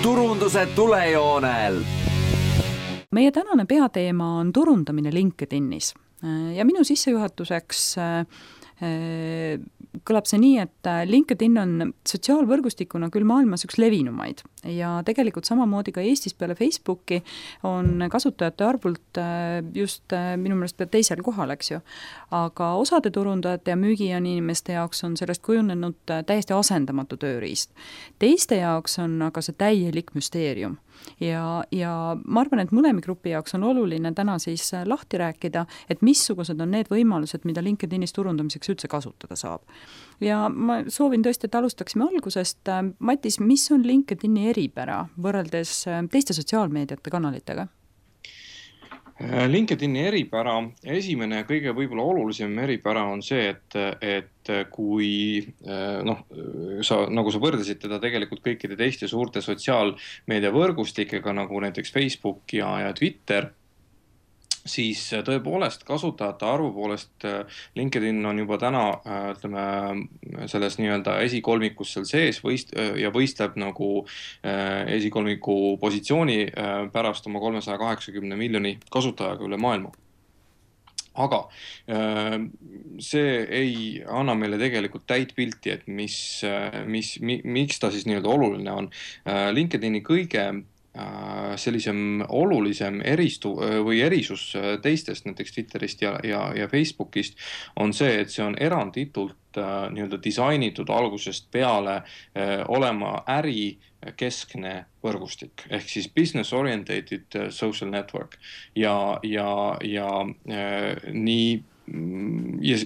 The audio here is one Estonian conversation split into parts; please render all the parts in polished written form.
turunduse tulejoonel. Meie tänane peateema on turundamine LinkedInis ja minu sissejuhatuseks kõlab see nii, et LinkedIn on sotsiaalvõrgustikuna küll maailmas üks levinumaid ja tegelikult samamoodi ka Eestis peale Facebooki on kasutajate arvult just minu meelest teisel kohal, eks ju. Aga osade turundajate ja müügiinimeste jaoks on sellest kujunenud täiesti asendamatu tööriist. Teiste jaoks on aga see täielik müsteerium. Ja ma arvan, et mõlemi grupi jaoks on oluline täna siis lahti rääkida, et missugused on need võimalused, mida LinkedInis turundamiseks üldse kasutada saab. Ja ma soovin tõesti, et alustaksime algusest. Matis, mis on LinkedIni eripära võrreldes teiste sotsiaalmeediate kanalitega? LinkedIni eripära, esimene kõige võib-olla olulisem eripära on see, et kui nagu sa võrdasid teda tegelikult kõikide teiste suurte sotsiaalmeedia võrgustikega, nagu näiteks Facebook ja Twitter, siis tõepoolest kasutajate arvu poolest LinkedIn on juba täna selles nii-öelda esikolmikus seal sees ja võistleb nagu esikolmiku positsiooni pärast oma 380 miljoni kasutajaga üle maailma. Aga see ei anna meile tegelikult täit pilti, et miks ta siis nii-öelda oluline on. LinkedIni kõige sellisem olulisem erisus teistest, näiteks Twitterist ja Facebookist on see, et see on eranditult nii-öelda disainitud algusest peale olema ärikeskne võrgustik, ehk siis business orientated social network ja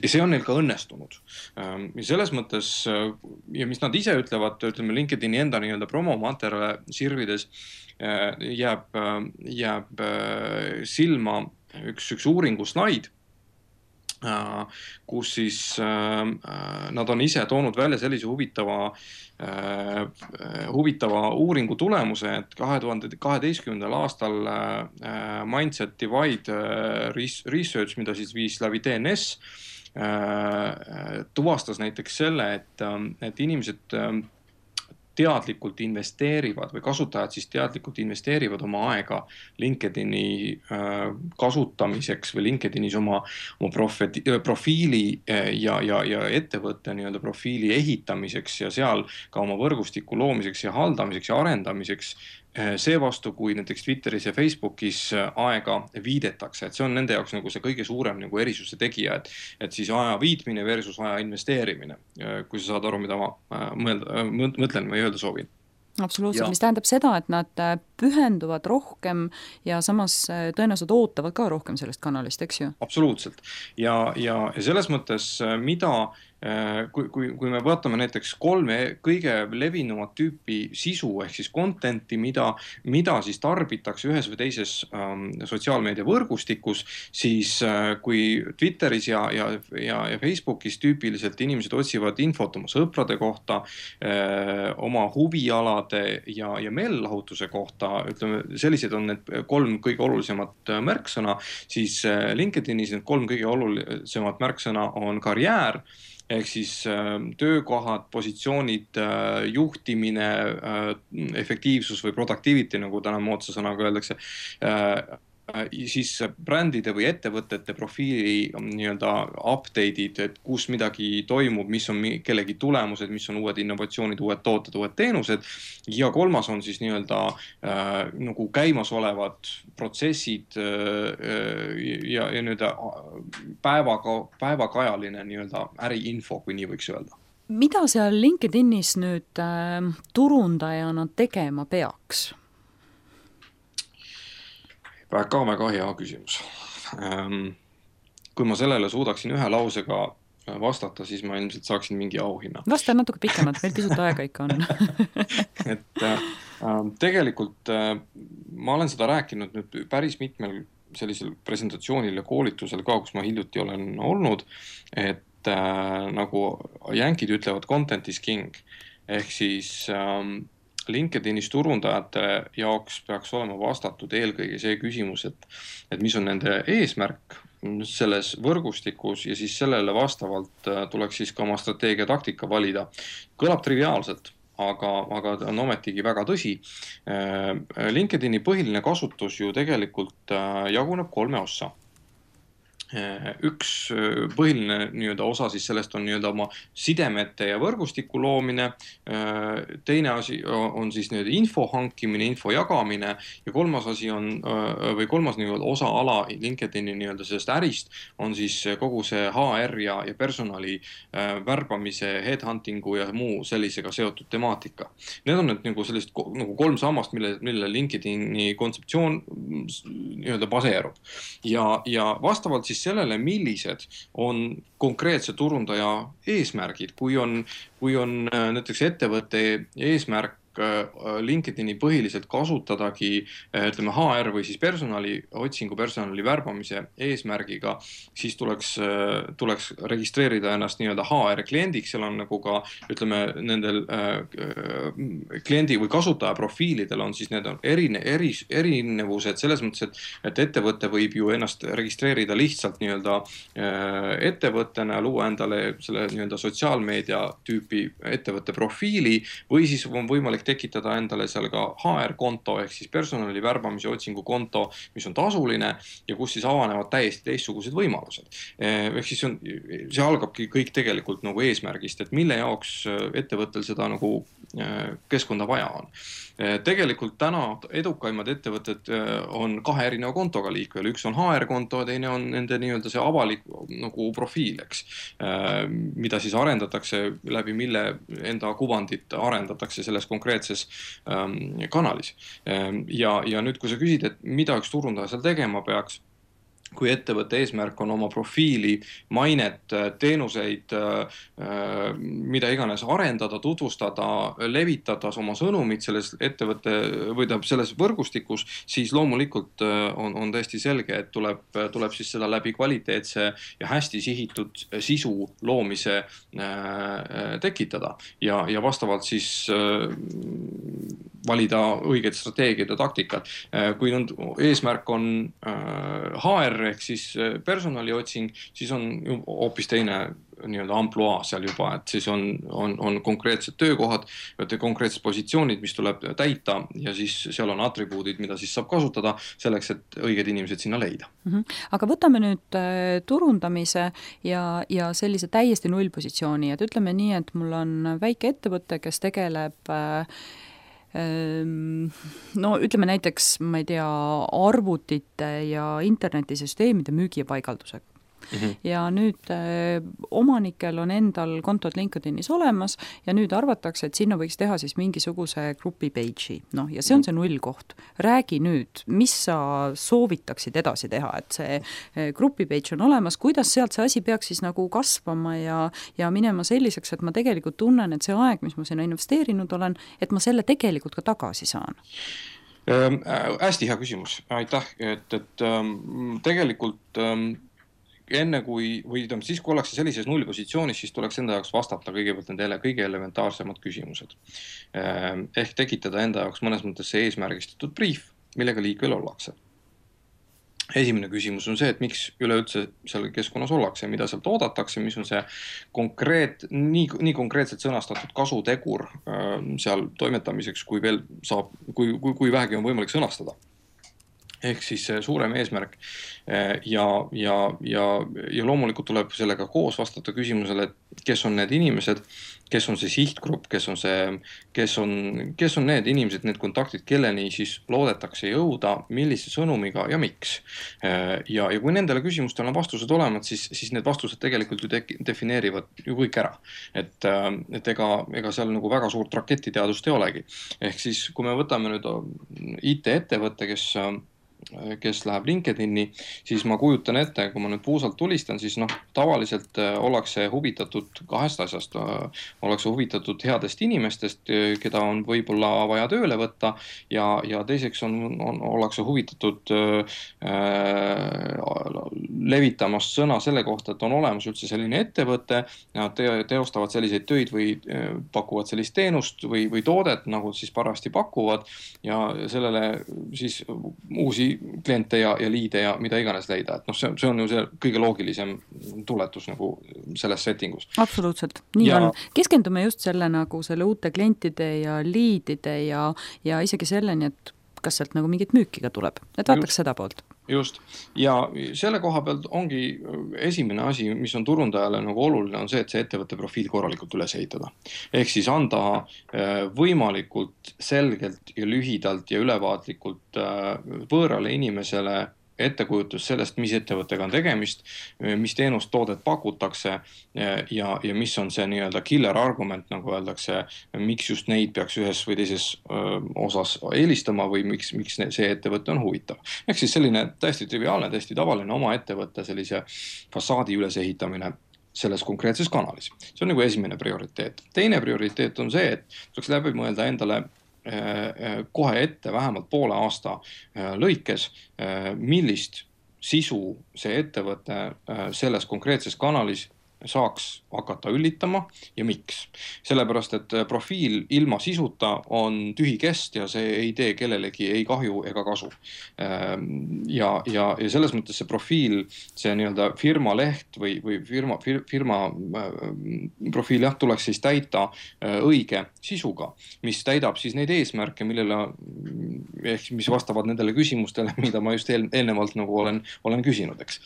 see on neil ka õnnestunud. Ja selles mõttes, ja mis nad ise ütlevad, LinkedIni enda nii-öelda promomaterjale sirvides jääb silma üks uuringu slaid, kus siis nad on ise toonud välja sellise huvitava uuringu tulemuse, et 2012. aastal Mindset Divide Research, mida siis viis läbi DNS, tuvastas näiteks selle, et inimesed teadlikult investeerivad või kasutajad siis teadlikult investeerivad oma aega LinkedIni kasutamiseks või LinkedInis oma profiili ja ettevõtte nii-öelda profiili ehitamiseks ja seal ka oma võrgustiku loomiseks ja haldamiseks ja arendamiseks. Seevastu, kui näiteks Twitteris ja Facebookis aega viidetakse, et see on nende jaoks nagu see kõige suurem nagu erisuse tegija, et siis aja viitmine versus aja investeerimine, kui sa saad aru, mida ma mõtlen või öelda soovin. Absoluutselt, mis tähendab seda, et nad pühenduvad rohkem ja samas tõenäoliselt ootavad ka rohkem sellest kanalist, eks ju? Absoluutselt. Ja selles mõttes, kui me vaatame näiteks 3 kõige levinumat tüüpi sisu ehk siis contenti, mida siis tarbitakse ühes või teises sotsiaalmeedia võrgustikus, siis kui Twitteris ja Facebookis tüüpiliselt inimesed otsivad infot oma sõprade kohta, oma huvialade ja meellahutuse kohta, ütleme, sellised on need 3 kõige olulisemat märksõna, siis LinkedInis need 3 kõige olulisemat märksõna on karjäär, ehk siis töökohad, positsioonid, juhtimine, efektiivsus või productivity, nagu täna moodsa sõnaga öeldakse, siis brändide või ettevõtete profiili nii-öelda update'id, et kus midagi toimub, mis on kellegi tulemused, mis on uued innovatsioonid, uued tooted, uued teenused. Ja 3. on siis nii-öelda nagu käimasolevad protsessid ja nii-öelda päevakajaline nii-öelda äriinfo, kui nii võiks öelda. Mida seal LinkedInis nüüd turundajana tegema peaks? Väga hea küsimus. Kui ma sellele suudaksin ühe lausega vastata, siis ma ilmselt saaksin mingi auhinna. Vasta natuke pikemalt, meil pisut aega ikka on. Tegelikult ma olen seda rääkinud nüüd päris mitmel sellisel presentatsioonil ja koolitusel ka, kus ma hiljuti olen olnud, et nagu jänkid ütlevad, content is king. Ehk siis LinkedInis turundajate jaoks peaks olema vastatud eelkõige see küsimus, et mis on nende eesmärk selles võrgustikus ja siis sellele vastavalt tuleks siis ka oma strateegia taktika valida. Kõlab triviaalselt, aga ta on ometigi väga tõsi. LinkedIni põhiline kasutus ju tegelikult jaguneb 3 ossa. Üks põhiline nii-öelda osa siis sellest on nii-öelda oma sidemete ja võrgustiku loomine. Teine asi on siis nii-öelda info hankimine, info jagamine ja kolmas asi on, või kolmas nii-öelda osa ala LinkedIni nii-öelda sellest ärist on siis kogu see HR ja personali värbamise, headhuntingu ja muu sellisega seotud temaatika. Need on nüüd nagu sellist nagu 3 sammast, mille LinkedIni kontseptsioon nii-öelda baseerub. Ja vastavalt siis sellele, millised on konkreetse turundaja eesmärgid, kui on näiteks ettevõtte eesmärk LinkedIni põhiliselt kasutadagi ütleme HR või siis personaliotsingu, personali värbamise eesmärgiga, siis tuleks registreerida ennast nii-öelda HR kliendiks, seal on nagu ka ütleme nendel kliendi või kasutaja profiilidel on siis need on erinevused selles mõttes, et ettevõte võib ju ennast registreerida lihtsalt nii-öelda ettevõttena, luua endale selle nii-öelda sotsiaalmeedia tüüpi ettevõtte profiili või siis on võimalik tekitada endale seal ka HR-konto ehk siis personali värbamise otsingu konto, mis on tasuline ja kus siis avanevad täiesti teistsugused võimalused. Ehk siis see algabki kõik tegelikult nagu eesmärgist, et mille jaoks ettevõttel seda nagu keskkonda vaja on. Tegelikult täna edukaimad ettevõtted on 2 erineva kontoga liikvel. Üks on HR-konto ja teine on nende nii-öelda see avalik nagu profiil, eks, mida siis arendatakse läbi mille enda kuvandit arendatakse selles konkreetses kanalis. Ja nüüd, kui sa küsid, et mida üks turundaja seal tegema peaks, kui ettevõtte eesmärk on oma profiili, mainet, teenuseid, mida iganes arendada, tutvustada, levitada oma sõnumid selles ettevõtte või selles võrgustikus, siis loomulikult on täiesti selge, et tuleb siis seda läbi kvaliteetse ja hästi sihitud sisu loomise tekitada ja vastavalt siis valida õiged strateegiad ja taktikad. Kui eesmärk on HR ehk siis personaliotsing, siis on hoopis teine nii-öelda ampluaa seal juba, et siis on konkreetsed töökohad, konkreetsed positsioonid, mis tuleb täita ja siis seal on atribuudid, mida siis saab kasutada selleks, et õiged inimesed sinna leida. Aga võtame nüüd turundamise ja sellise täiesti nullpositsiooni, et ütleme nii, et mul on väike ettevõte, kes tegeleb no ütleme näiteks, ma ei tea, arvutite ja internetisüsteemide müügi ja paigaldusega. Ja nüüd omanikel on endal kontod LinkedInis olemas ja nüüd arvatakse, et sinna võiks teha siis mingisuguse grupi page'i. No, ja see on see nullkoht. Räägi nüüd, mis sa soovitaksid edasi teha, et see grupi page on olemas, kuidas sealt see asi peaks siis nagu kasvama ja minema selliseks, et ma tegelikult tunnen, et see aeg, mis ma sinna investeerinud olen, et ma selle tegelikult ka tagasi saan. Hästi hea küsimus. Aitäh, et tegelikult enne kui siis, kui ollakse sellises nullpositsioonis, siis tuleks enda jaoks vastata kõigepealt nendele kõige elementaarsemad küsimused. Ehk tekitada enda jaoks mõnes mõttes see eesmärgistatud brief, millega liikvel ollakse. Esimene küsimus on see, et miks üleüldse seal keskkonnas ollakse, mida sealt oodatakse, mis on see nii konkreetselt sõnastatud kasutegur seal toimetamiseks, kui veel saab, kui vähegi on võimalik sõnastada. Ehk siis suurem eesmärk ja loomulikult tuleb sellega koos vastata küsimusele, et kes on need inimesed, kes on see sihtgrupp, kes on need inimesed, need kontaktid, kelleni siis loodetakse jõuda, millise sõnumiga ja miks. Ja kui nendele küsimustele on vastused olemas, siis need vastused tegelikult ju defineerivad ju kõik ära. Et ega seal nagu väga suurt raketiteadust ei olegi. Ehk siis, kui me võtame nüüd IT-ettevõtte, kes läheb LinkedIni, siis ma kujutan ette, kui ma nüüd puusalt tulistan, siis tavaliselt ollakse huvitatud 2 asjast. Ollakse huvitatud headest inimestest, keda on võib-olla vaja tööle võtta ja teiseks ollakse huvitatud levitamast sõna selle kohta, et on olemas üldse selline ettevõte, nad teostavad selliseid töid või pakuvad sellist teenust või toodet, nagu siis parajasti pakuvad ja sellele siis uusi kliente ja liide ja mida iganes leida. Et noh, see on ju see kõige loogilisem tuletus nagu selles settingus. Absoluutselt, nii on. Keskendume just selle nagu selle uute klientide ja liidide ja isegi selleni, et kas sealt nagu mingit müüki ka tuleb, et vaataks seda poolt. Just, ja selle koha pealt ongi esimene asi, mis on turundajale nagu oluline, on see, et see ettevõtte profiil korralikult üles ehitada. Ehk siis anda võimalikult selgelt ja lühidalt ja ülevaatlikult võõrale inimesele ettekujutus sellest, mis ettevõttega on tegemist, mis teenust toodet pakutakse ja mis on see nii-öelda killer argument, nagu öeldakse, miks just neid peaks ühes või teises osas eelistama või miks see ettevõte on huvitav. Ehk siis selline täiesti triviaalne, täiesti tavaline oma ettevõtte sellise fassaadi ülesehitamine selles konkreetses kanalis. See on nagu esimene prioriteet. Teine prioriteet on see, et tuleks läbi mõelda endale kohe ette vähemalt poole aasta lõikes, millist sisu see ettevõte selles konkreetses kanalis saaks hakata üllitama ja miks. Sellepärast, et profiil ilma sisuta on tühi kest ja see ei tee kellelegi ei kahju ega kasu. Ja selles mõttes see profiil, see nii-öelda firma leht või firma profiil tuleks siis täita õige sisuga, mis täidab siis neid eesmärke, ehk mis vastavad nendele küsimustele, mida ma just eelnevalt nagu olen küsinud, eks.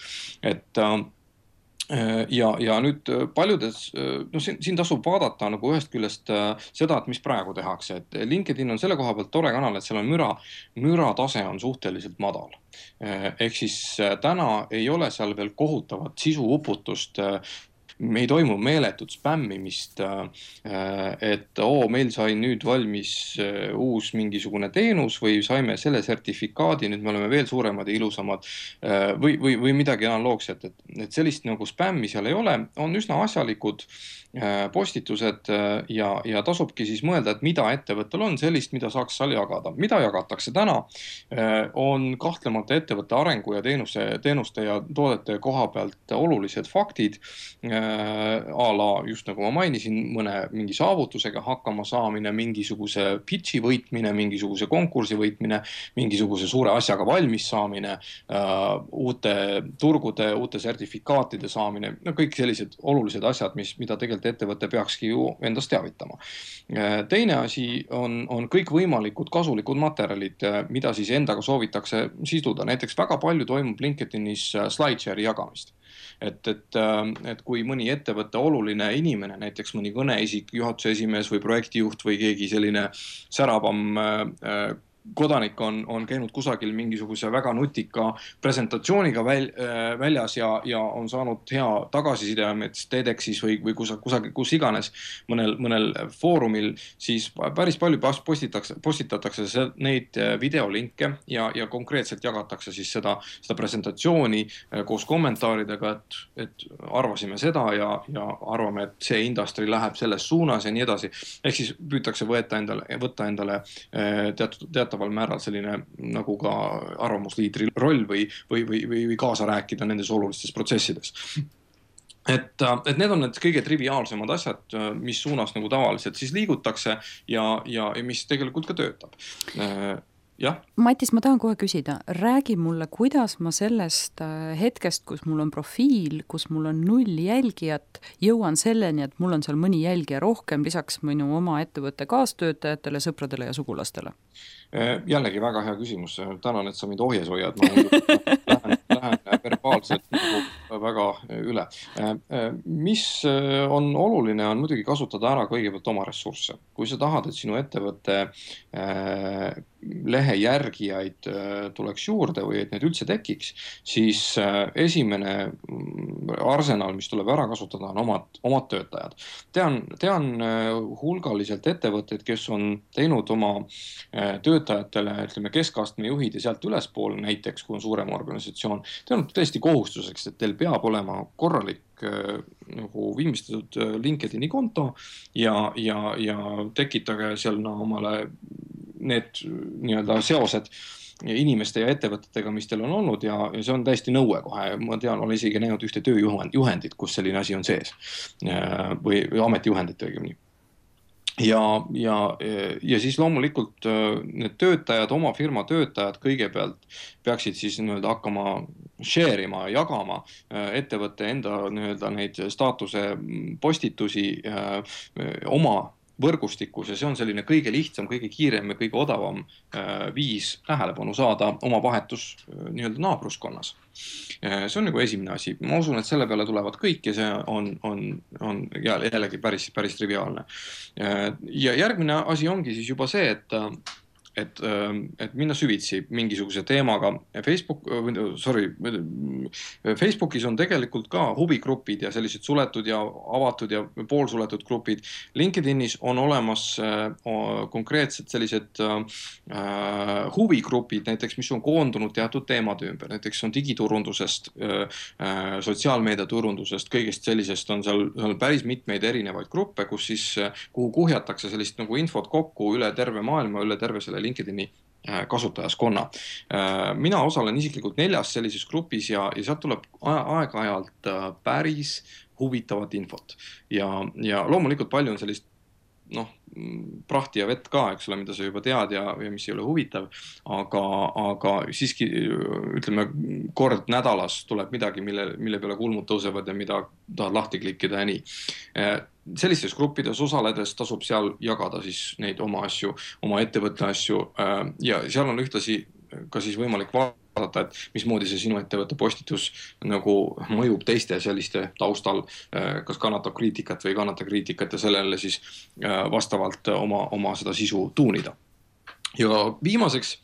Ja nüüd paljudes, siin tasub vaadata nagu ühest küljest seda, et mis praegu tehakse, et LinkedIn on selle koha pealt tore kanal, et seal on müra tase on suhteliselt madal. Ehk siis täna ei ole seal veel kohutavat sisuuputust, me ei toimu meeletut spämmimist, et meil sai nüüd valmis uus mingisugune teenus või saime selle sertifikaadi, nüüd me oleme veel suuremad ja ilusamad või midagi analoogset, et sellist nagu spämmi seal ei ole, on üsna asjalikud postitused ja tasubki siis mõelda, et mida ettevõttel on sellist, mida saaks seal jagada. Mida jagatakse täna, on kahtlemata ettevõtte arengu ja teenuste ja toodete koha pealt olulised faktid, a la just nagu ma mainisin, mingi saavutusega hakkama saamine, mingisuguse pitchi võitmine, mingisuguse konkursi võitmine, mingisuguse suure asjaga valmis saamine, uute turgude, uute sertifikaatide saamine, kõik sellised olulised asjad, mida tegelikult ettevõte peakski ju endast teavitama. Teine asi on kõik võimalikud kasulikud materjalid, mida siis endaga soovitakse siduda. Näiteks väga palju toimub LinkedInis SlideShare'i jagamist. Et kui mõni ettevõtte oluline inimene, näiteks mõni kõneisik, juhatuse esimees või projektijuht või keegi selline säravam kodanik on käinud kusagil mingisuguse väga nutika presentatsiooniga väljas ja on saanud hea tagasiside TEDxis või kusagil, kus iganes mõnel foorumil, siis päris palju postitatakse neid videolinke ja konkreetselt jagatakse siis seda presentatsiooni koos kommentaaridega, et arvasime seda ja arvame, et see industry läheb selles suunas ja nii edasi. Ehk siis püütakse võtta endale teataval määral selline nagu ka arvamusliidri roll või kaasa rääkida nendes olulistes protsessides. Et need on need kõige triviaalsemad asjad, mis suunas nagu tavaliselt siis liigutakse ja mis tegelikult ka töötab. Ja. Matis, ma tahan kohe küsida, räägi mulle, kuidas ma sellest hetkest, kus mul on profiil, kus mul on 0 jälgijat, jõuan selleni, et mul on seal mõni jälgija rohkem, lisaks minu oma ettevõtte kaastöötajatele, sõpradele ja sugulastele. Jällegi väga hea küsimus. Tänan, et sa mind ohjes hoiad. Ma lähen verbaalselt väga üle. Mis on oluline, on muidugi kasutada ära kõigepealt oma ressursse. Kui sa tahad, et sinu ettevõtte lehe järgijaid tuleks juurde või et need üldse tekiks, siis esimene arsenal, mis tuleb ära kasutada, on omad töötajad. Tean hulgaliselt ettevõtteid, kes on teinud oma töötajatele, ütleme, keskastme juhid ja sealt ülespool, näiteks kui on suurem organisatsioon, teinud tõesti kohustuseks, et teil peab olema korralik nagu viimistletud LinkedIni konto ja tekitage seal omale need nii-öelda seosed inimeste ja ettevõtetega, mis teil on olnud ja see on täiesti nõue kohe. Ma tean, olen isegi näinud ühte tööjuhendit, kus selline asi on sees või ametijuhendit õigemini. Ja siis loomulikult need töötajad, oma firma töötajad kõigepealt peaksid siis nii-öelda hakkama share ima, jagama ettevõtte enda nii-öelda neid staatuse postitusi oma võrgustikus ja see on selline kõige lihtsam, kõige kiirem ja kõige odavam viis tähelepanu saada oma vahetus nii-öelda naabruskonnas. See on nagu esimene asi. Ma usun, et selle peale tulevad kõik ja see on jällegi päris triviaalne. Ja järgmine asi ongi siis juba see, et minna süvitsi mingisuguse teemaga. Facebookis on tegelikult ka huvigrupid ja sellised suletud ja avatud ja poolsuletud grupid. LinkedInis on olemas konkreetsed sellised huvigrupid, näiteks mis on koondunud teatud teemade ümber. Näiteks on digiturundusest, sotsiaalmeediaturundusest, kõigest sellisest on seal päris mitmeid erinevaid gruppe, kus siis, kuhu kuhjatakse sellist nagu infot kokku üle terve maailma, üle terve selle LinkedIni kasutajaskonna. Mina osalen isiklikult 4 sellises grupis ja sealt tuleb aeg-ajalt päris huvitavat infot. Ja loomulikult palju on sellist prahti ja vett ka, eks ole, mida sa juba tead ja mis ei ole huvitav, aga siiski ütleme kord nädalas tuleb midagi, mille peale kulmud tõusevad ja mida tahad lahti klikkida ja nii. Sellistes gruppides osaledes tasub seal jagada siis neid oma asju, oma ettevõtte asju ja seal on ühtlasi ka siis võimalik vaadata, et mismoodi see sinu ettevõtte postitus nagu mõjub teiste selliste taustal, kas kannatab kriitikat või ei kannata kriitikat ja sellele siis vastavalt oma seda sisu tuunida. Ja viimaseks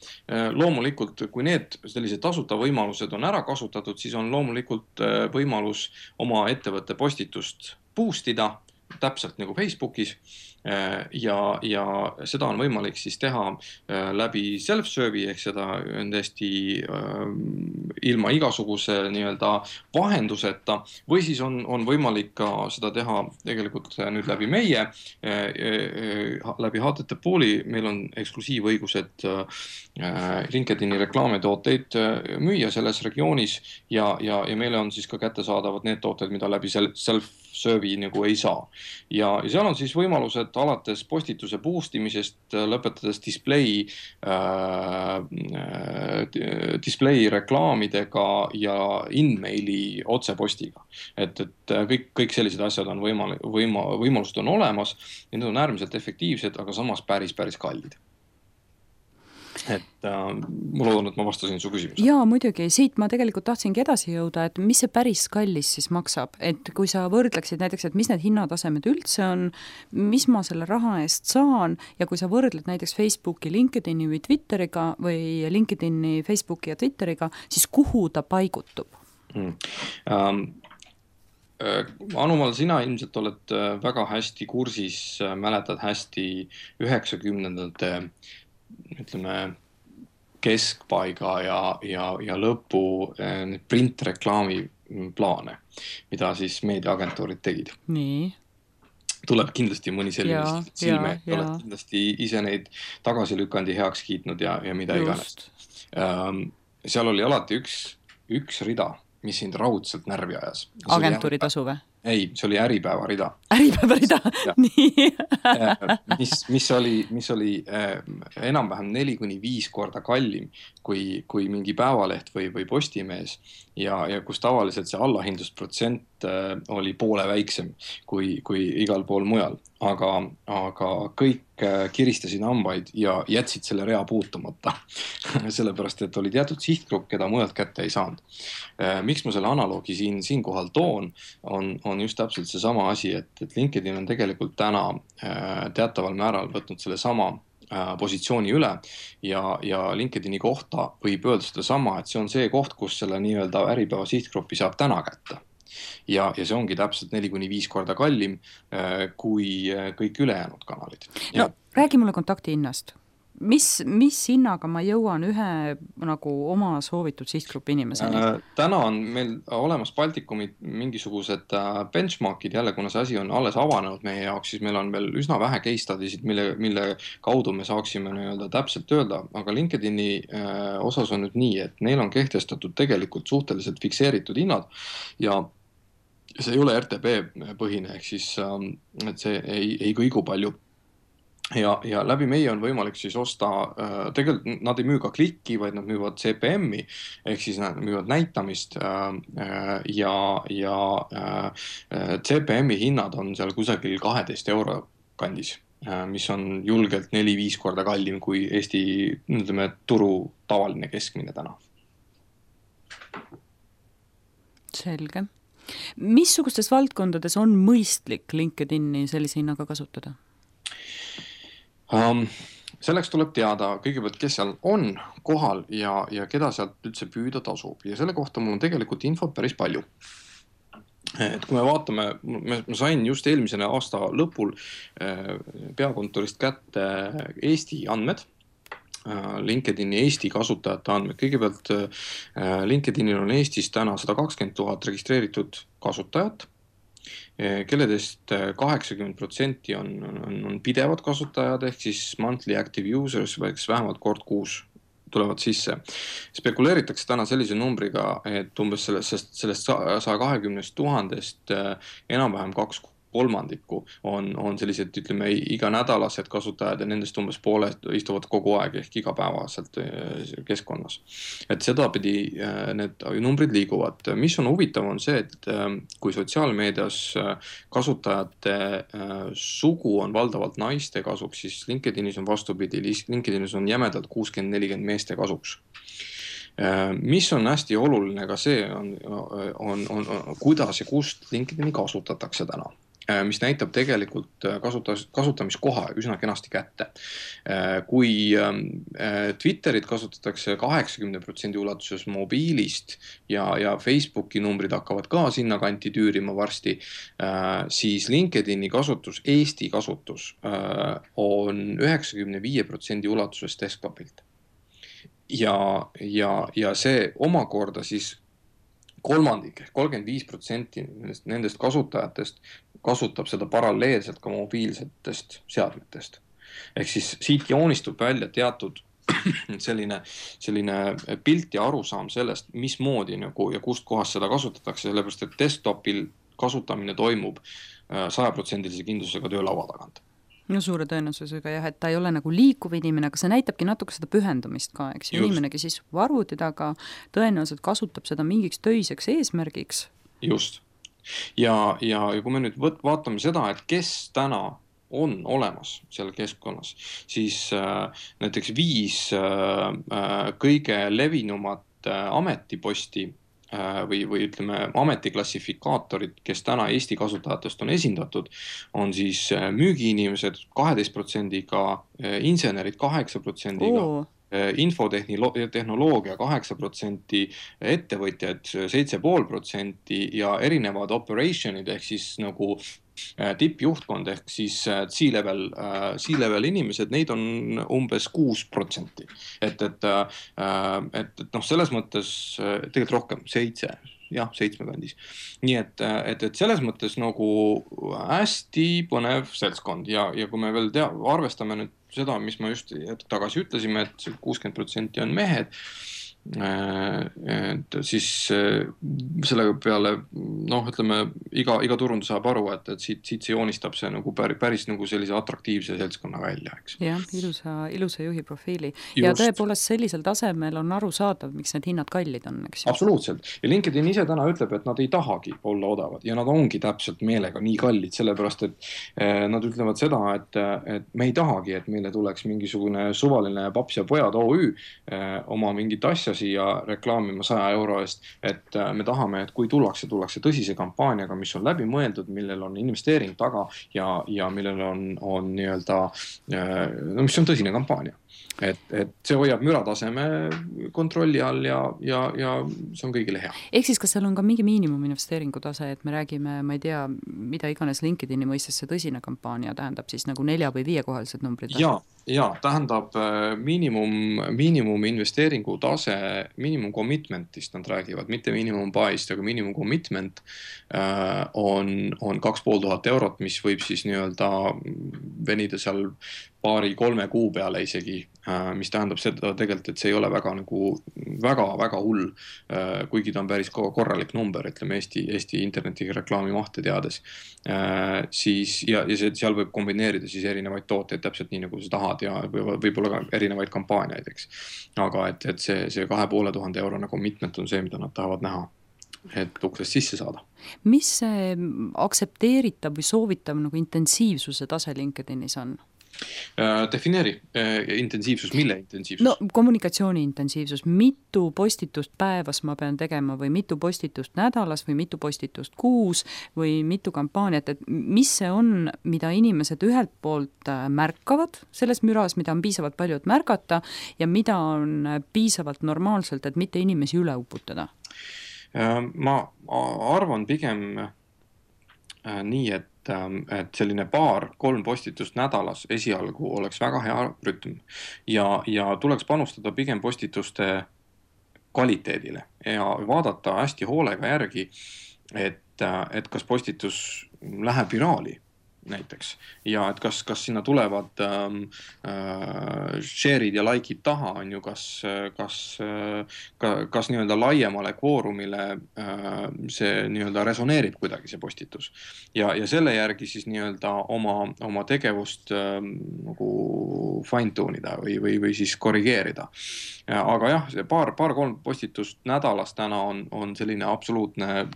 loomulikult, kui need sellised tasuta võimalused on ära kasutatud, siis on loomulikult võimalus oma ettevõtte postitust boostida, täpselt nagu Facebookis ja seda on võimalik siis teha läbi self-serve'i ehk seda on täiesti ilma igasuguse nii-öelda vahenduseta või siis on võimalik ka seda teha tegelikult nüüd läbi meie, läbi HTT Pooli meil on eksklusiivõigused LinkedIni reklaamitooteid müüa selles regioonis ja meile on siis ka kättesaadavad need tooted, mida läbi self-serve'i nagu ei saa. Ja seal on siis võimalused alates postituse boostimisest, lõpetades display reklaamidega ja in-maili otsepostiga. Et kõik sellised asjad on võimalused on olemas ja need on äärmiselt efektiivsed, aga samas päris kallid. Et ma loodan, et ma vastasin su küsimusele. Jaa, muidugi. Siit ma tegelikult tahtsingi edasi jõuda, et mis see päris kallis siis maksab. Et kui sa võrdleksid näiteks, et mis need hinnatasemed üldse on, mis ma selle raha eest saan ja kui sa võrdled näiteks Facebooki, LinkedIni või Twitteriga või LinkedIni, Facebooki ja Twitteriga, siis kuhu ta paigutub? Anumal, sina ilmselt oled väga hästi kursis, mäletad hästi 90ndate ütleme keskpaiga ja lõpu printreklaami plaane, mida siis meediaagentuurid tegid. Nii. Tuleb kindlasti mõni selline silme, oled kindlasti ise neid tagasi lükandi heaks kiitnud ja mida iganes. Seal oli alati üks rida, mis sind raudselt närvi ajas. Agentuuri tasu või? Ei, see oli Äripäeva rida. Äripäeva rida, nii. mis oli enam-vähem 4-5 korda kallim kui mingi päevaleht või postimees ja kus tavaliselt see allahindlusprotsent oli poole väiksem kui igal pool mujal. Aga kõik kiristasid hambaid ja jätsid selle rea puutumata, sellepärast, et oli teatud sihtgrupp, keda mujalt kätte ei saanud. Miks ma selle analoogi siinkohal toon, on just täpselt see sama asi, et LinkedIn on tegelikult täna teataval määral võtnud selle sama positsiooni üle ja LinkedIni kohta võib öelda seda sama, et see on see koht, kus selle nii-öelda Äripäeva sihtgruppi saab täna kätte. Ja see ongi täpselt 4-5 korda kallim kui kõik ülejäänud kanalid. No, räägi mulle kontakti hinnast. mis hinnaga ma jõuan ühe nagu oma soovitud sihtgrupi inimeseni? Täna on meil olemas Baltikumi mingisugused benchmarkid, jälle kuna see asi on alles avanenud meie jaoks, siis meil on veel üsna vähe case study'sid, mille kaudu me saaksime nii-öelda täpselt öelda, aga LinkedIni osas on nüüd nii, et neil on kehtestatud tegelikult suhteliselt fikseeritud hinnad ja see ei ole RTB põhine, ehk siis et see ei kõigu palju. Ja läbi meie on võimalik siis osta, tegelikult nad ei müü ka klikki, vaid nad müüvad CPM-i, ehk siis nad müüvad näitamist ja CPM-i hinnad on seal kusagil 12 € kandis, mis on julgelt 4-5 korda kallim kui Eesti, ütleme, turu tavaline keskmine täna. Selge. Missugustes valdkondades on mõistlik LinkedIni sellise hinnaga kasutada? Selleks tuleb teada kõigepealt, kes seal on kohal ja keda sealt üldse püüda tasub. Ja selle kohta mul on tegelikult infot päris palju. Et kui me vaatame, ma sain just eelmise aasta lõpul peakontorist kätte Eesti andmed, LinkedIni Eesti kasutajate andmed. Kõigepealt LinkedInil on Eestis täna 120 000 registreeritud kasutajat, kelledest 80% on pidevad kasutajad, ehk siis monthly active users, vähemalt kord kuus tulevad sisse. Spekuleeritakse täna sellise numbriga, et umbes sellest 120 000 enam-vähem 2/3 on sellised, ütleme, iganädalased kasutajad ja nendest umbes pooled istuvad kogu aeg ehk igapäevaselt keskkonnas. Et sedapidi need numbrid liiguvad. Mis on huvitav on see, et kui sotsiaalmeedias kasutajate sugu on valdavalt naiste kasuks, siis LinkedInis on vastupidi, LinkedInis on jämedalt 60-40 meeste kasuks. Mis on hästi oluline ka see on kuidas ja kust LinkedIni kasutatakse täna, mis näitab tegelikult kasutamiskoha üsna kenasti kätte. Kui Twitterit kasutatakse 80% ulatuses mobiilist ja Facebooki numbrid hakkavad ka sinna kanti tüürima varsti, siis LinkedIni kasutus, Eesti kasutus on 95% ulatuses desktopilt. Ja see omakorda siis kolmandik, 35% nendest kasutajatest kasutab seda paralleelselt ka mobiilsetest seadmetest. Ehk siis siit joonistub välja teatud selline pilt ja arusaam sellest, mismoodi nagu ja kust kohast seda kasutatakse, sellepärast et desktopil kasutamine toimub 100% kindlusega töölaua tagant. No suure tõenäosusega jah, et ta ei ole nagu liikuv inimene, aga see näitabki natuke seda pühendumist ka, eks inimene, kes istub arvuti taga, tõenäoliselt kasutab seda mingiks töiseks eesmärgiks. Just. Ja kui me nüüd vaatame seda, et kes täna on olemas seal keskkonnas, siis näiteks 5 kõige levinumat ametiposti või ütleme ametiklassifikaatorid, kes täna Eesti kasutajatest on esindatud, on siis müügiinimesed 12%-ga, insenerid 8%-ga, infotehnoloogia 8%, ettevõtjad 7,5% ja erinevad operationid ehk siis nagu tippjuhtkond ehk siis C-level inimesed, neid on umbes 6%. Et selles mõttes tegelikult rohkem, 7 kandis. Nii et selles mõttes nagu hästi põnev seltskond ja kui me veel arvestame nüüd seda, mis ma just tagasi ütlesime, et 60% on mehed, et siis selle peale ütleme, iga turundus saab aru, et siit see joonistab see nagu päris nagu sellise atraktiivse seltskonna välja, eks. Jah, ilusa juhi profiili. Ja tõepoolest sellisel tasemel on aru saadav, miks need hinnad kallid on, eks. Absoluutselt. Ja LinkedIn ise täna ütleb, et nad ei tahagi olla odavad ja nad ongi täpselt meelega nii kallid, sellepärast et nad ütlevad seda, et me ei tahagi, et meile tuleks mingisugune suvaline paps ja pojad OÜ oma mingit asja siia reklaamima 100 € eest, et me tahame, et kui tullakse tõsise kampaaniaga, mis on läbi mõeldud, millel on investeering taga ja millel on nii-öelda, mis on tõsine kampaania. et see hoiab mürataseme kontrolli all ja see on kõigile hea. Ehk siis, kas seal on ka mingi miinimuminvesteeringu tase, et me räägime, ma ei tea, mida iganes LinkedIni mõistes see tõsine kampaania tähendab siis nagu 4 või 5-kohalised numbrid? Ja tähendab miinimum investeeringu tase, miinimum commitment'ist nad räägivad, mitte miinimum buy'ist, aga miinimum commitment on 2500 eurot, mis võib siis nii-öelda venida seal 2-3 kuu peale isegi, mis tähendab seda tegelikult, et see ei ole väga hull, kuigi ta on päris korralik number, ütleme Eesti internetireklaami mahte teades. Siis, ja seal võib kombineerida siis erinevaid tooteid täpselt nii, nagu sa tahad ja võib-olla ka erinevaid kampaaniaid, eks. Aga et see 2500 eurone commitment on see, mida nad tahavad näha, et uksest sisse saada. Mis see aktsepteeritav või soovitav nagu intensiivsuse tase LinkedInis on? Defineeri intensiivsus, mille intensiivsus? No kommunikatsiooni intensiivsus, mitu postitust päevas ma pean tegema või mitu postitust nädalas või mitu postitust kuus või mitu kampaaniat, et mis see on, mida inimesed ühelt poolt märkavad selles müras, mida on piisavalt palju, et märgata ja mida on piisavalt normaalselt, et mitte inimesi üle uputada? Ma arvan pigem nii, et selline 2-3 postitust nädalas esialgu oleks väga hea rütm ja tuleks panustada pigem postituste kvaliteedile ja vaadata hästi hoolega järgi, et kas postitus läheb viraali näiteks ja et kas sinna tulevad share'id ja like'id taha, on ju, kas nii-öelda laiemale kvoorumile see nii-öelda resoneerib kuidagi see postitus ja selle järgi siis nii-öelda oma tegevust nagu fine tune'ida või siis korrigeerida. Aga jah, see 2-3 postitust nädalas täna on selline absoluutne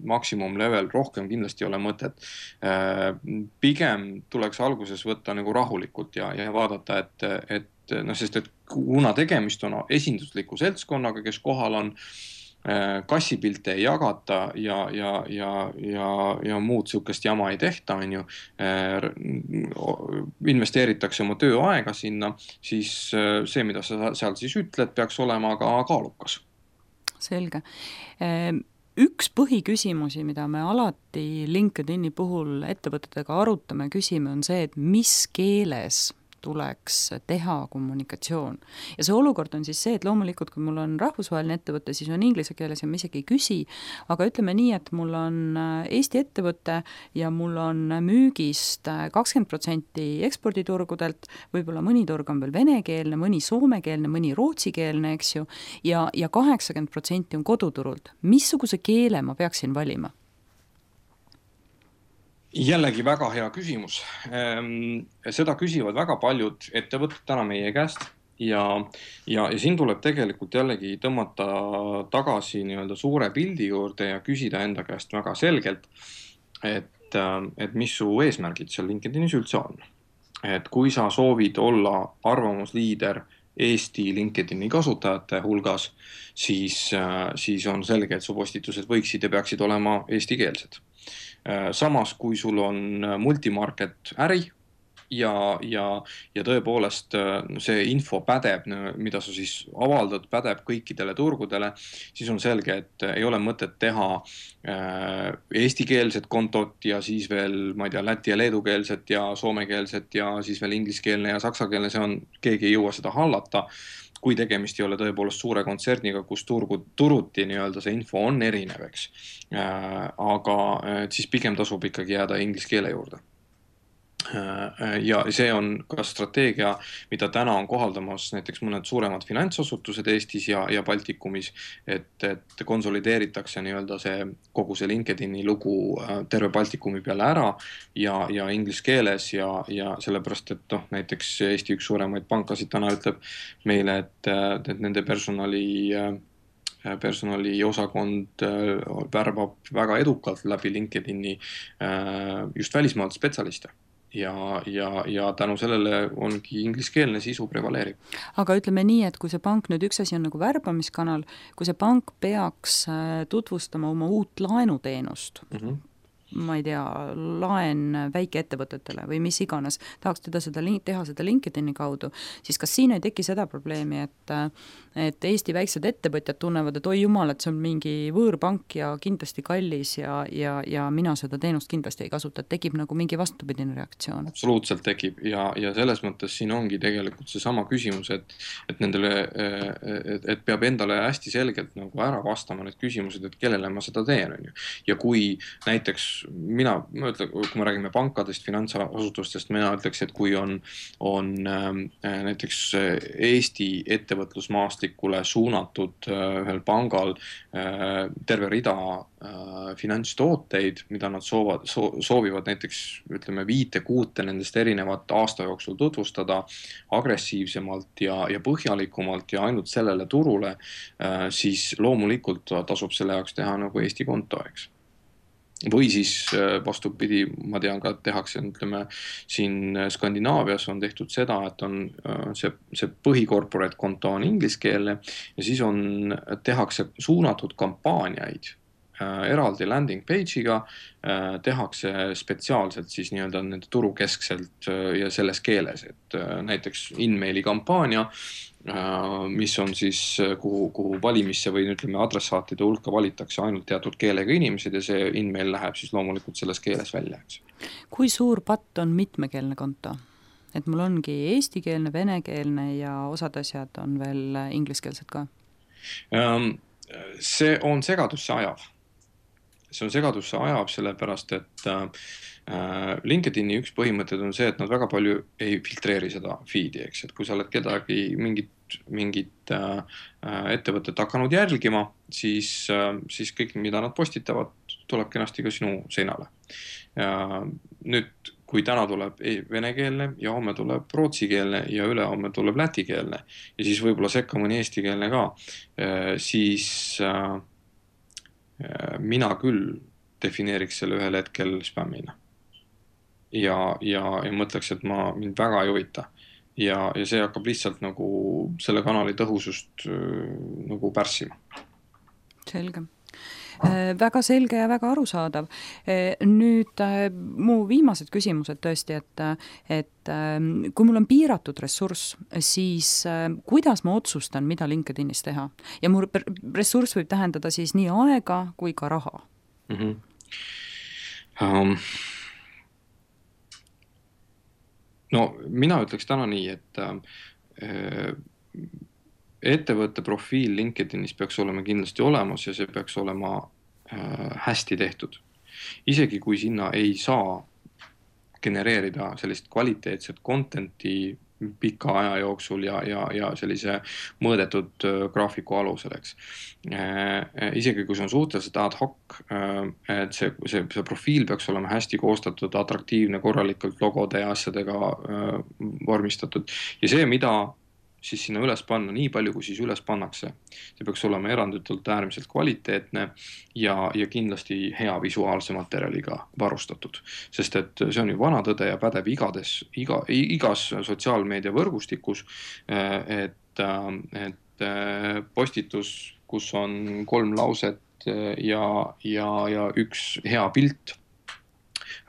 maksimum level, rohkem kindlasti ei ole mõtet. Pigem tuleks alguses võtta nagu rahulikult ja vaadata, sest kuna tegemist on esindusliku seltskonnaga, kes kohal on, kassipilte ei jagata ja muud sihukest jama ei tehta, on ju, investeeritakse oma tööaega sinna, siis see, mida sa seal siis ütled, peaks olema ka kaalukas. Selge. Üks põhiküsimusi, mida me alati LinkedIni puhul ettevõtetega arutame, küsime, on see, et mis keeles tuleks teha kommunikatsioon. Ja see olukord on siis see, et loomulikult, kui mul on rahvusvaheline ettevõte, siis on inglise keeles ja ma isegi ei küsi, aga ütleme nii, et mul on Eesti ettevõte ja mul on müügist 20% eksporditurgudelt, võib-olla mõni turg on veel venekeelne, mõni soomekeelne, mõni rootsikeelne, eks ju, ja 80% on koduturult. Missuguse keele ma peaksin valima? Jällegi väga hea küsimus. Seda küsivad väga paljud ettevõtted täna meie käest ja siin tuleb tegelikult jällegi tõmmata tagasi nii-öelda suure pildi juurde ja küsida enda käest väga selgelt, et mis su eesmärgid seal LinkedInis üldse on. Et kui sa soovid olla arvamusliider Eesti LinkedIni kasutajate hulgas, siis on selge, et su postitused võiksid ja peaksid olema eestikeelsed. Samas, kui sul on multimarket äri ja tõepoolest see info pädeb, mida sa siis avaldad, pädeb kõikidele turgudele, siis on selge, et ei ole mõtet teha eestikeelset kontot ja siis veel, ma ei tea, läti ja leedukeelset ja soomekeelset ja siis veel ingliskeelne ja saksakeelne, keegi ei jõua seda hallata, kui tegemist ei ole tõepoolest suure kontserniga, kus turuti nii-öelda see info on erinev, eks. Aga siis pigem tasub ikkagi jääda inglise keele juurde. Ja see on ka strateegia, mida täna on kohaldamas näiteks mõned suuremad finantsasutused Eestis ja Baltikumis, et konsolideeritakse nii-öelda kogu see LinkedIni lugu terve Baltikumi peale ära ja inglise keeles ja sellepärast, et näiteks Eesti üks suuremaid pankasid täna ütleb meile, et nende personaliosakond värbab väga edukalt läbi LinkedIni just välismaalt spetsialiste. Ja tänu sellele ongi ingliskeelne sisu prevaleerib. Aga ütleme nii, et kui see pank nüüd üks asi on nagu värbamiskanal, kui see pank peaks tutvustama oma uut laenuteenust, ma ei tea, laen väikeettevõtetele või mis iganes, tahaks teha seda LinkedIni kaudu, siis kas siin ei teki seda probleemi, et Eesti väiksed ettevõtjad tunnevad, et oi jumal, et see on mingi võõrpank ja kindlasti kallis ja mina seda teenust kindlasti ei kasuta, et tekib nagu mingi vastupidine reaktsioon? Absoluutselt tekib ja selles mõttes siin ongi tegelikult see sama küsimus, et nendele, et peab endale hästi selgelt nagu ära vastama need küsimused, et kellele ma seda teen, on ju. Ja kui näiteks kui me räägime pankadest, finantsasutustest, mina ütleks, et kui on näiteks Eesti ettevõtlusmaastikule suunatud ühel pangal terve rida finantstooteid, mida nad soovivad näiteks ütleme 5-6 nendest erinevat aasta jooksul tutvustada agressiivsemalt ja põhjalikumalt ja ainult sellele turule, siis loomulikult tasub selle jaoks teha nagu Eesti konto, eks. Või siis vastupidi, ma tean ka, et tehakse, ütleme, siin Skandinaavias on tehtud seda, et on see põhikorporate konto on ingliskeelne ja siis tehakse suunatud kampaaniaid eraldi landing page'iga, tehakse spetsiaalselt siis nii-öelda nende turukeskselt ja selles keeles, et näiteks InMaili kampaania, mis on siis, kuhu valimisse või ütleme adressaatide hulka valitakse ainult teatud keelega inimesed ja see InMail läheb siis loomulikult selles keeles välja, eks. Kui suur patt on mitmekeelne konto? Et mul ongi eestikeelne, venekeelne ja osad asjad on veel ingliskeelsed ka? See on segadusse ajav. See on segadusse ajav sellepärast, et LinkedIni üks põhimõtted on see, et nad väga palju ei filtreeri seda feed'i, eks, et kui sa oled kedagi mingit ettevõtet hakanud jälgima, siis kõik, mida nad postitavad, tuleb kenasti ka sinu seinale. Nüüd, kui täna tuleb venekeelne ja homme tuleb rootsikeelne ja ülehomme tuleb lätikeelne ja siis võib-olla sekka mõni eestikeelne ka, siis mina küll defineeriks selle ühel hetkel spämmina. Ja mõtleks, et mind väga ei huvita. Ja see hakkab lihtsalt nagu selle kanali tõhusust nagu pärssima. Selge. Väga selge ja väga arusaadav. Nüüd mu viimased küsimused tõesti, et kui mul on piiratud ressurss, siis kuidas ma otsustan, mida LinkedInis teha? Ja mu ressurss võib tähendada siis nii aega kui ka raha. No mina ütleks täna nii, et ettevõtte profiil LinkedInis peaks olema kindlasti olemas ja see peaks olema hästi tehtud. Isegi kui sinna ei saa genereerida sellist kvaliteetset content'i pika aja jooksul ja sellise mõõdetud graafiku alusel, eks. Isegi kui see on suhteliselt ad hoc, et see profiil peaks olema hästi koostatud, atraktiivne, korralikult logode ja asjadega vormistatud. Ja see, mida siis sinna üles panna, nii palju kui siis üles pannakse. See peaks olema eranditult äärmiselt kvaliteetne ja kindlasti hea visuaalse materjaliga varustatud. Sest et see on ju vana tõde ja pädeb igas sotsiaalmeedia võrgustikus, et postitus, kus on 3 lauset ja üks hea pilt,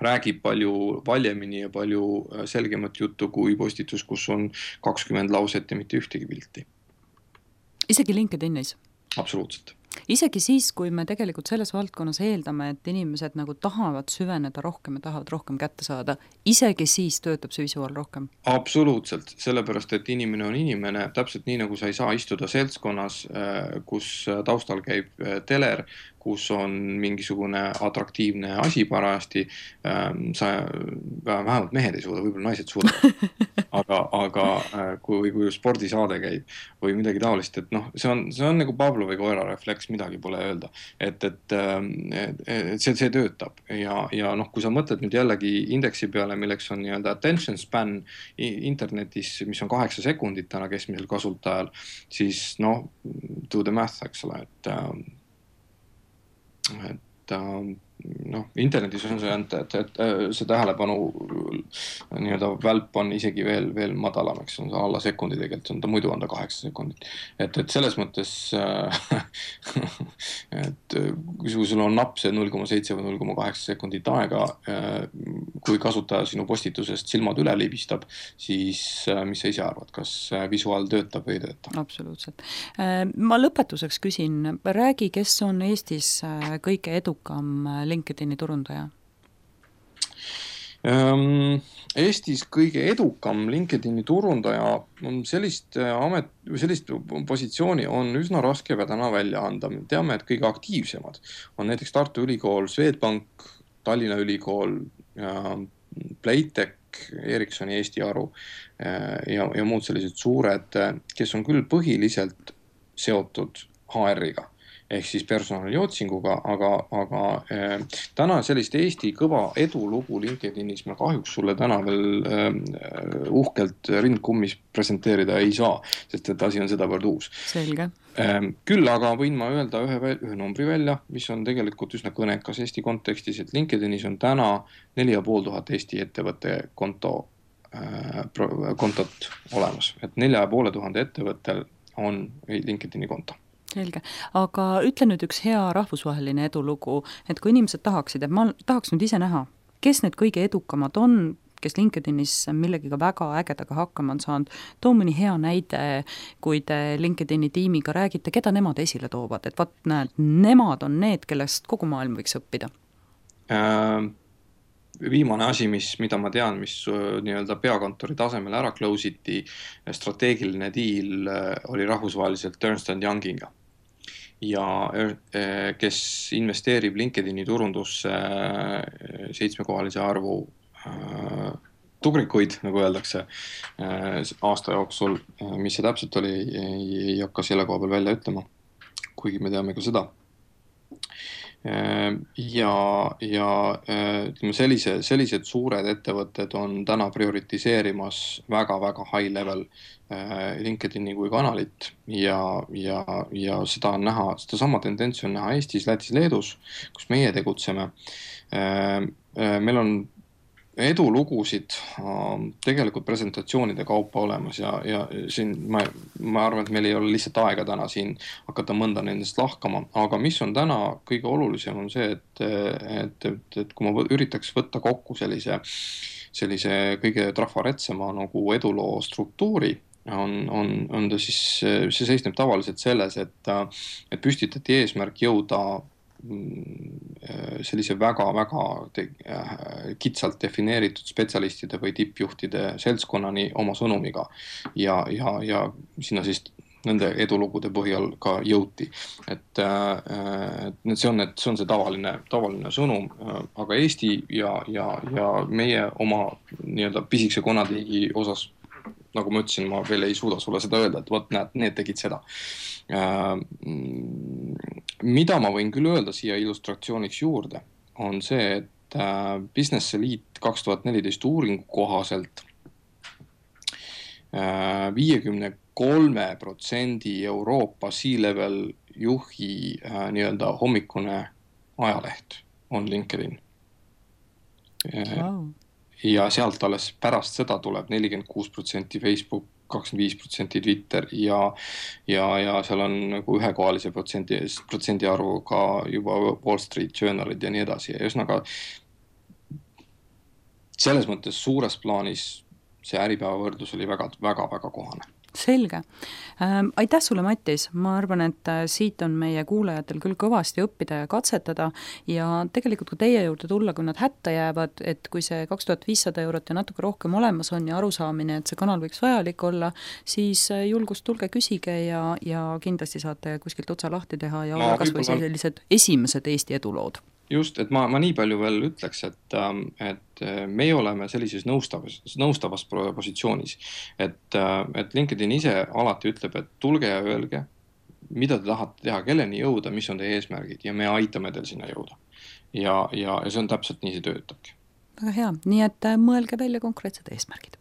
räägib palju valjemini ja palju selgemat juttu kui postitus, kus on 20 lauset ja mitte ühtegi pilti. Isegi LinkedInis? Absoluutselt. Isegi siis, kui me tegelikult selles valdkonnas eeldame, et inimesed nagu tahavad süveneda rohkem ja tahavad rohkem kätte saada, isegi siis töötab see visuaal rohkem? Absoluutselt, sellepärast, et inimene on inimene, täpselt nii nagu sa ei saa istuda seltskonnas, kus taustal käib teler, kus on mingisugune atraktiivne asi parajasti, vähemalt mehed ei suuda, võib-olla naised suudavad, aga kui spordisaade käib või midagi taolist, et noh, see on nagu Pavlovi koera refleks, midagi pole öelda, et see töötab ja noh, kui sa mõtled nüüd jällegi indeksi peale, milleks on nii-öelda attention span internetis, mis on 8 sekundit täna keskmisel kasutajal, siis noh, do the math, eks ole, et internetis on see, et see tähelepanu nii-öelda välp on isegi veel madalam, eks on see alla sekundi tegelikult, muidu on ta 8 sekundit. Et selles mõttes, et kui sul on napp see 0,7 või 0,8 sekundit aega, kui kasutaja sinu postitusest silmad üle libistab, siis mis sa ise arvad, kas visuaal töötab või ei tööta? Absoluutselt. Ma lõpetuseks küsin, räägi, kes on Eestis kõige edukam LinkedIni turundaja? Eestis kõige edukam LinkedIni turundaja on sellist positsiooni on üsna raske täna välja anda. Me teame, et kõige aktiivsemad on näiteks Tartu Ülikool, Swedbank, Tallinna Ülikool, Playtech, Ericssoni Eesti Aru ja muud sellised suured, kes on küll põhiliselt seotud HR-iga. Ehk siis personaliotsinguga, aga täna sellist Eesti kõva edulugu LinkedInis ma kahjuks sulle täna veel uhkelt rindkummis presenteerida ei saa, sest et asi on sedavõrd uus. Selge. Küll aga võin ma öelda ühe numbri välja, mis on tegelikult üsna kõnekas Eesti kontekstis, et LinkedInis on täna 4500 Eesti ettevõtte kontot olemas, et 4500 ettevõttel on LinkedIni konto. Selge, aga ütle nüüd üks hea rahvusvaheline edulugu, et kui inimesed tahaksid, et ma tahaks nüüd ise näha, kes need kõige edukamad on, kes LinkedInis millegiga väga ägedaga hakkama on saanud, too mõni hea näide, kui te LinkedIni tiimiga räägite, keda nemad esile toovad, et vaat näed, nemad on need, kellest kogu maailm võiks õppida. Viimane asi, mida ma tean, mis nii-öelda peakontori tasemel ära close iti, strateegiline deal oli rahvusvaheliselt Ernst & Youngiga. Ja kes investeerib LinkedIni turundusse 7-kohalise arvu tugrikuid, nagu öeldakse, aasta jooksul, mis see täpselt oli, ei hakka selle koha peal välja ütlema, kuigi me teame ka seda. Ja ütleme, sellised suured ettevõtted on täna prioritiseerimas väga high level LinkedIni kui kanalit ja seda on näha, seda sama tendentsi on näha Eestis, Lätis, Leedus, kus meie tegutseme. Meil on edulugusid tegelikult presentatsioonide kaupa olemas ja siin ma arvan, et meil ei ole lihtsalt aega täna siin hakata mõnda nendest lahkama, aga mis on täna kõige olulisem on see, et kui ma üritaks võtta kokku sellise kõige trafaretsema nagu eduloo struktuuri, on ta siis, see seisneb tavaliselt selles, et püstitati eesmärk jõuda sellise väga kitsalt defineeritud spetsialistide või tippjuhtide seltskonnani oma sõnumiga ja sinna siis nende edulugude põhjal ka jõuti. Et see on see tavaline sõnum, aga Eesti ja meie oma nii-öelda pisikese konatiigi osas, nagu ma ütlesin, ma veel ei suuda sulle seda öelda, et võt näed, need tegid seda. Mida ma võin küll öelda siia illustratsiooniks juurde, on see, et Business Elite 2014 uuringu kohaselt 53% Euroopa C-level juhi nii-öelda hommikune ajaleht on LinkedIn. Wow. Ja sealt alles pärast seda tuleb 46% Facebook, 25% Twitter ja seal on nagu ühekohalise protsendi arvuga juba Wall Street Journalid ja nii edasi. Ja üsnaga selles mõttes suures plaanis see Äripäeva võrdlus oli väga kohane. Selge. Aitäh sulle, Mattis. Ma arvan, et siit on meie kuulajatel küll kõvasti õppida ja katsetada ja tegelikult ka teie juurde tulla, kui nad hätta jäävad, et kui see 2500 € ja natuke rohkem olemas on ja arusaamine, et see kanal võiks vajalik olla, siis julgust tulge küsige ja kindlasti saate kuskilt otsa lahti teha ja olla kas või sellised esimesed Eesti edulood. Just, et ma nii palju veel ütleks, et meie oleme sellises nõustavas positsioonis, et LinkedIn ise alati ütleb, et tulge ja öelge, mida te tahate teha, kelleni jõuda, mis on teie eesmärgid ja me aitame teil sinna jõuda. Ja see on täpselt nii see töötabki. Väga hea, nii et mõelge välja konkreetsed eesmärgid.